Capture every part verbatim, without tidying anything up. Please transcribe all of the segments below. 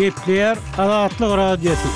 Gepleýär Azatlyk Radiosy.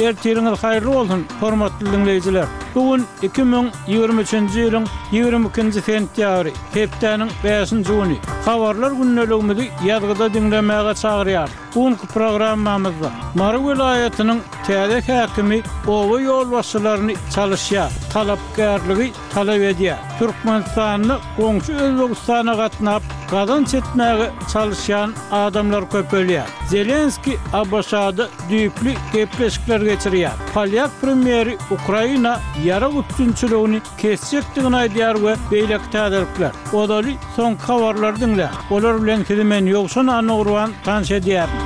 Ertiriňiz haýyrly bolsun, hormatly diňleýjiler! Bu gün iki müň ýigrimi üçünji ýylyň ýigrimi ikinji sentýabry, hepdäniň bäşinji güni. Habarlar gündeligimizi ýazgyda diňlemäge çagyrýarys. Bu günki programmamyzda Mary welaýatynyň täze häkimi oba ýolbaşçylaryny çalyşýar, talapkärligi talap edýär. Türkmenistanda goňşy Özbegistana gatnap, gazanç etmäge çalyşýan adamlar köpelýär. Zelenskiý ABŞ-da düýpli gepleşikler geçirýär. Polýak premýeri Ukraina ýarag üpjünçiligini kesjekdigini aýdýar we beýleki täzelikler. Ozaly soňky habarlary diňläň. Olar bilen sizi men Ýowşan Annagurban tanyş edýärin.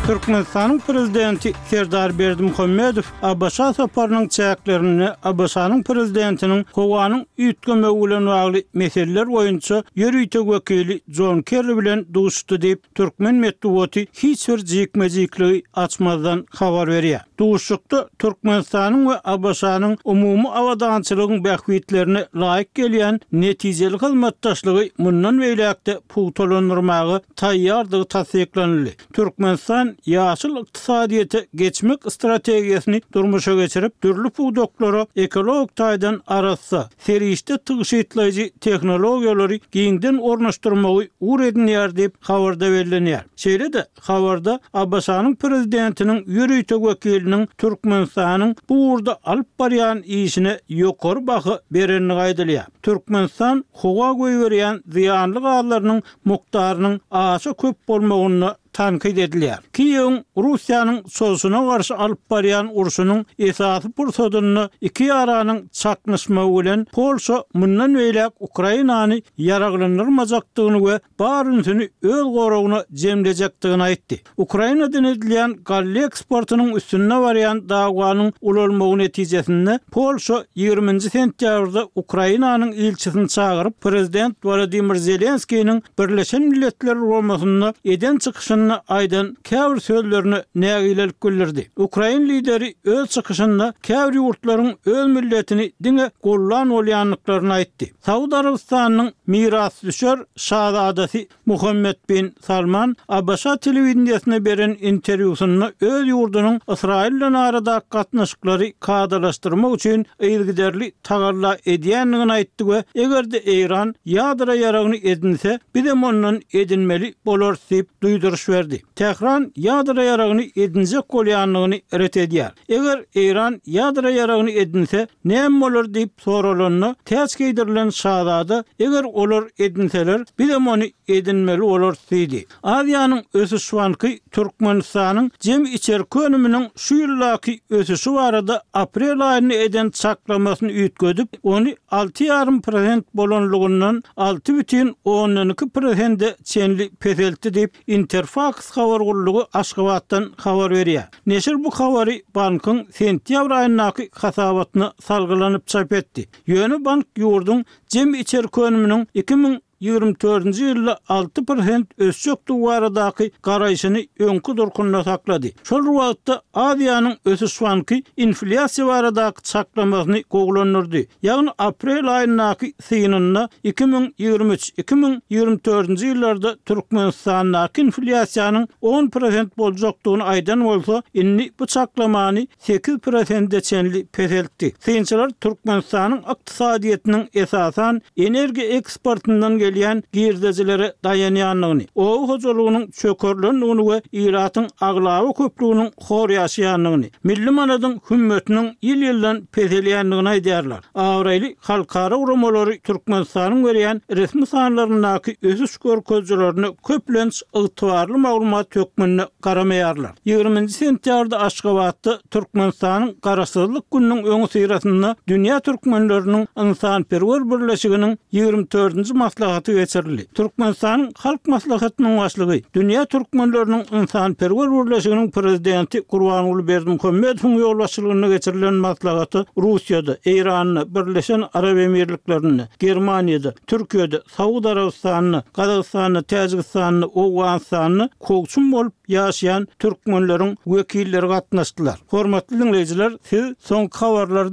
Türkmenistanyň Prezidenti Serdar Berdimuhamedow ABŞ-a saparynyň çäklerinde ABŞ-nyň Prezidentiniň howanyň üýtgemegi bilen bagly meseleler boýunça ýörite wekili Jon Kerri bilen duşuşdy diýip, türkmen metbugaty hiç bir jikme-jikligi açmazdan habar berýär. Duşuşykda Türkmenistanyň we ABŞ-nyň umumy abadançylygyň bähbitlerine laýyk gelýän netijeli hyzmatdaşlygy mundan beýläk-de pugtalandyrmaga taýýardygy tassyklanyldy. Türkmenistan ýaşyl ykdysadyýete geçmek strategiýasyny durmuşa geçirip, dürli pudaklara ekologik taýdan arassa, serişde tygşytlaýjy tehnologiýalary giňden ornaşdyrmagy ugur edinýär diýip, habarda bellenýär. Şeýle-de, habarda ABŞ-nyň Prezidentiniň ýörite wekiliniň Türkmenistanyň bu ugurda alyp barýan işine ýokary baha berendigi aýdylýar. Türkmenistan howa goýberýän zyýanly gazlarynyň mukdarynyň aşa köp bolmagynda tankyt edilýär. Kiýewiň Russiýanyň çozuşyna garşy alyp barýan urşunyň esasy pursadynda iki ýaranyň çaknyşmagy bilen Polşa mundan beýläk Ukrainany ýaraglandyrmajakdygyny we bar ünsüni öz goragyna jemlejekdigini aýtdy. Ukrainadan edilýän galla eksportynyň üstünde barýan dawanyň ulalmagy netijesinde Polşa ýigriminji sentýabrda Ukrainanyň ilçisini çagyryp, prezident Wolodymyr Zelenskiniň Birleşen Milletler Guramasynda eden çykyşynda aýdan käbir sözlerine nägilelik bildirdi. Ukrain lideri öz çykyşynda käbir ýurtlaryň öz milletini diňe gollan bolýandyklaryny aýtdy. Saud Arabystanynyň mirasdüşer şazadasy Muhammed bin Salman ABŞ telewideniýesine beren interwýusynda öz ýurdunyň Ysraýyl bilen aradaky gatnaşyklary kadalaşdyrmak üçin yzygiderli tagalla edýändigini aýtdy we eger-de Eýran ýadro ýaragyny edinse, bizem ondan edinmeli bolarys diýip duýduryş berdi. Tähran ýadro ýaragyny edinjek bolýandygyny ret edýär. Eger Eýran ýadro ýaragyny edinse, näme bolar diýip soralanda, täç geýdirilen şazada, Eger olar edinseler, bizem ony edinmeli bolarys diýdi. Aziýanyň ösüş banky Türkmenistanyň jemi içerki önüminiň şu ýyldaky ösüşi barada aprel aýynda eden çaklamasyny üýtgedip, ony alty ýarym prosent bolanlygyndan alty bütin ondan iki prosente çenli peseltdi diýip, Interfaks habar gullugy Aşgabatdan habar berýär. Neşir bu habary bankyň sentýabr aýyndaky hasabatyna salgylanyp çap etdi. Ýöne bank ýurduň jemi içerki önüminiň iki müň ýigrimi dördünji ýylda alty prosent ösjekdigi baradaky garaýşyny öňki durkunda saklady. Şol bir wagtda, Aziýanyň ösüş banky inflýasiýa baradaky çaklamasyny gowulandyrdy. Ýagny aprel aýyndaky synynda iki müň ýigrimi üç, iki müň ýigrimi dördünji ýyllarda Türkmenistandaky inflýasiýanyň on prosent boljakdygyny aýdan bolsa, indi bu çaklamany sekiz prosente çenli peseltdi. Synçylar Türkmenistanyň ykdysadyýetiniň esasan energiýa eksportyndan gelýän girdejilere daýanýandygyny, oba hojalygynyň çökerilendigini we ilatyň aglaba köplüginiň hor ýaşaýandygyny, milli manadyň hümmetiniň ýyl-ýyldan peselýändigini aýdýarlar. Abraýly halkara guramalary Türkmenistanyň berýän resmi sanlaryndaky ösüş görkezijilerine köplenç ygtybarly maglumat hökmünde garamaýarlar. Ýigriminji sentýabrda Aşgabatda Türkmenistanyň Garaşsyzlyk gününiň öňüsyrasynda Dünýä türkmenleriniň ynsanperwer birleşiginiň ýigrimi dördünji maslahaty geçirildi. Türkmenistanyň Halk Maslahatynyň Başlygy, Dünýä türkmenleriniň ynsanperwer birleşiginiň Prezidenti Gurbanguly Berdimuhamedowyň ýolbaşçylygynda geçirilen maslahata Russiýada, Eýranda, Birleşen Arap Emirliklerinde, Germaniýada, Türkiýede, Saud Arabystanynda, Gazagystanda, Täjigistanda, Owganystanda kowçum bolup ýaşaýan türkmenleriň wekilleri gatnaşdylar. Hormatly diňleýjiler, siz soňky habarlary diňlediňiz.